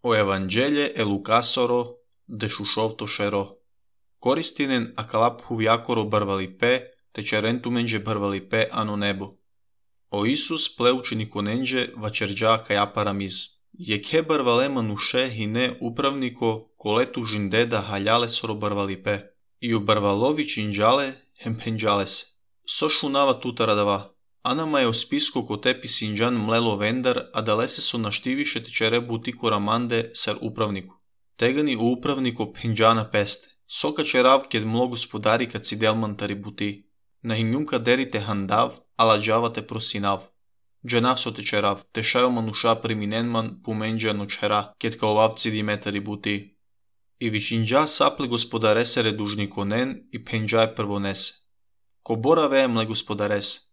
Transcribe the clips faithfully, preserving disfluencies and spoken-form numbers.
O Evanghelje e Lukasoro de Shushovtoshero. Koristinen akalap huviakoro barvalipe, te cerentumenje barvalipe ano nebo. O Isus pleučenikonenje vačerđa kajaparamiz. Jeke barvale manushe hine upravniko koletu žindeda haljale soro barvalipe. I u barvalovi činđale hempenđale se. So šunava tutaradava. Anama je o spisko ko tepi sinđan mlelo vendar, a dalese so naštiviše te čere butiko ramande sar upravniku. Tegani u upravniko penđana peste. Soka čerav ked mlo gospodari kad si delmantari buti. Na hinjunka derite handav, ala džavate prosinav. Dženav so te čerav, te šajo manuša priminenman pumenđano čera, ked kao ovavci dimetari buti. I višinđa saple gospodaresere dužnikonen i penđaje prvonese. Ko bora vemle gospodarese.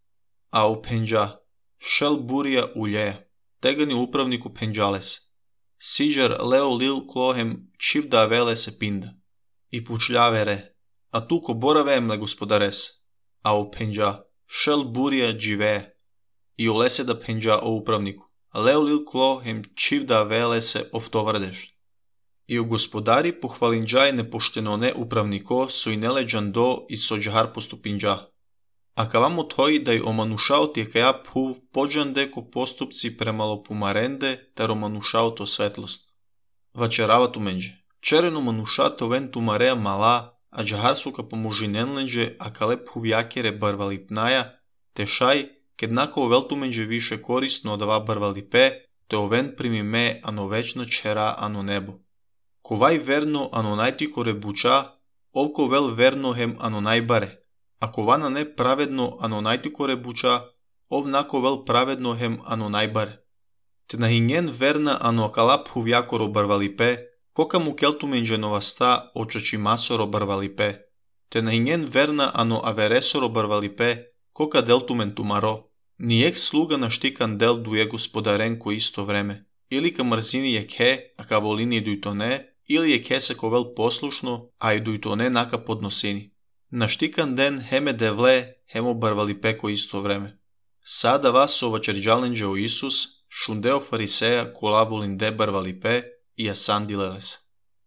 A u penđa, šel burija ulje, tegani upravniku penđales. Siđar leo lil klohem čivda vele se pinda. I pučljavere, a tu ko bora vemle gospodares. A u penđa, šel burija džive. I ulese da penđa o upravniku. Leo lil klohem čivda vele se oftovardeš. I u gospodari pohvalinđaj nepoštenone upravniko su i neleđan do i sođahar postupinđa. A kavamo toji da je omanušao ti kaja puv pođande ko postupci premalo pumarende, ter omanušao to svetlost. Vačerava tu menđe. Čereno manuša to ven tumarea mala, a džahar suka pomožinenlenđe, a kale puvjakere barvalipnaja, te šaj, ked nako ovel tu menđe više korisno odava barvalipe, te oven primi me ano večno čera ano nebo. Kovaj verno ano najtiko rebuča, ovko vel verno hem ano najbare. Ako vana ne pravedno ano najtiko rebuča, ov nako vel pravedno hem ano najbare. Te nahinjen verna ano akalap huvjakoro barvalipe, koka mu keltu menđenova sta očači masoro barvalipe. Te nahinjen verna ano averesoro barvalipe, koka deltu mentumaro. Nijek sluga naštikan del duje gospodaren ko isto vreme. Ili ka mrzini je ke, a ka volini duj to ne, ili je ke se ko vel poslušno, a i duj to ne naka podnosini. Naštikan den heme devle, hemo barvalipe ko isto vreme. Sada vas ova čerđalenđe o Isus, šundeo fariseja kola volinde barvalipe i asandileles.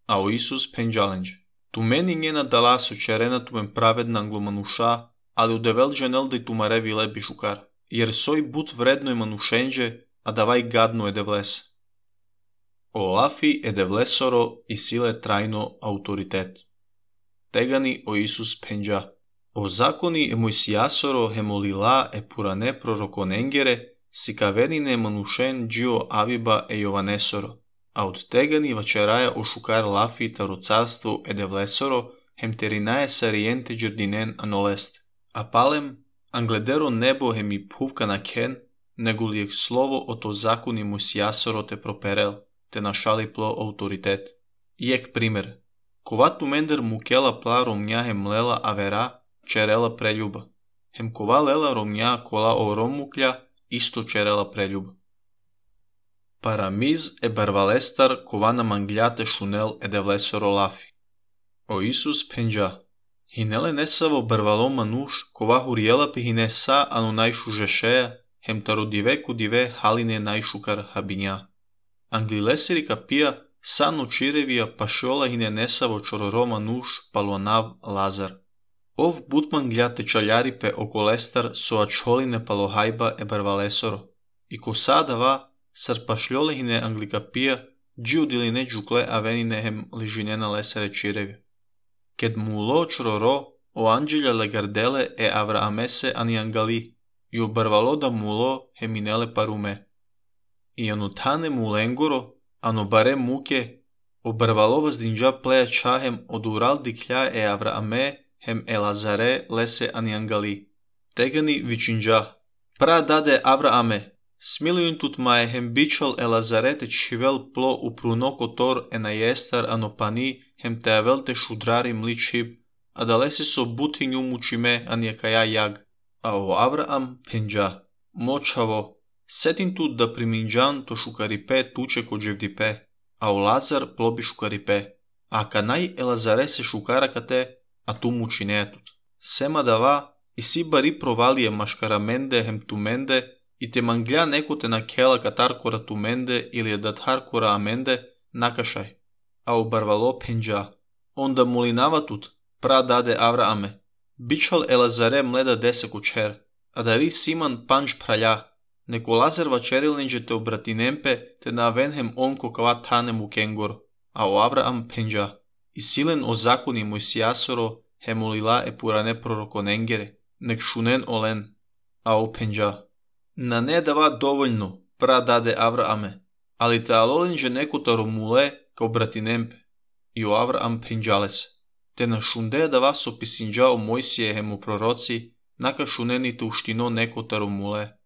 A o Isus penđalenđe. Tu meni njena dalaso čerena tumen pravedna anglomanuša, ali u develđe neldej tumarevi lebi šukar, jer soj but vredno je manušenđe, a davaj gadno je devlese. O lafi e devlesoro i sile trajno autoritet. Tegani o Isus penđa. O zakoni e Mojsijasoro hemolila e purane prorokonengere, sikavenine manušen džio aviba e jovanesoro, a od tegani vačeraja o šukar lafi taro carstvu e devlesoro, hem terinaje sarijente džerdinen anolest. A palem, angledero nebo hem i puvka na ken, nego lijek slovo o to zakoni Mojsijasoro te properel, te našali plo autoritet. Jek primer. Kova tu mender mukela pla romnja hem lela avera, čerela preljuba. Hem kova lela romnja kola o romuklja, isto čerela preljuba. Paramiz e barvalestar kova na mangljate šunel e devlesoro lafi. O Isus penđa. Hinele nesavo barvalo manuš kova hurjela pi hine sa anu najšu žešeja, hem taro diveku dive haline najšukar habinja. Anglileseri kapija Sano čirevija pašola hine nesavo čororoma nuš palonav Lazar. Ov butman gljate čaljaripe okolestar so ačholine palohajba e barvalesoro. I ko sadava sar pašljole hine anglikapija džiudiline džukle avenine hem ližinena lesere čirevija. Ked mulo čororo o anđelja legardele e avraamese ani angali i o barvaloda mulo heminele parume. I anutane mulengoro ano bare muke, o barvalova zdinđa pleja čahem od ural diklja e Avraame hem Elazare lese ani angali. Tegani vičinđa. Pra dade Avraame, smilijun tut maje hem bičal Elazare te čivel plo u prunoko tor e na jestar ano pani hem te avel te šudrari mličib, a da lese so butinju mučime ani kaja jag. A o Avraam penđa. Močavo. Setin tu da priminđan to šukaripe tuče ko dževdipe, a o Lazar plobi šukaripe, a kanaj Elazare se šukara kate, a tu muči netut. Sema dava, i si bari provalije maškaramende hem tumende, i te manglja neko te na kela katar kora tumende ili je datar kora amende, nakashaj, a obarvalo penđa. Onda molinavатут, пра даде Аврааме, бичал Елазаре мледа десе кучер, а дари Симан панч праля, неко Лазар вачерилнеđе те обратинемпе те навенхем онко кава танему кенгор, а о Авраам пенđа. И силен о закони Мојсијасоро хе молила е пуране пророконенгере, нек шунен олен, а о пенđа. На не дава довољно, пра даде Аврааме, али те алоленđе некотаро муле ка обратинемпе, и о Авраам пенđалес. Те на шунде дава сописинđа о Мојсије хему пророци, нака шунените уштино некотаро муле.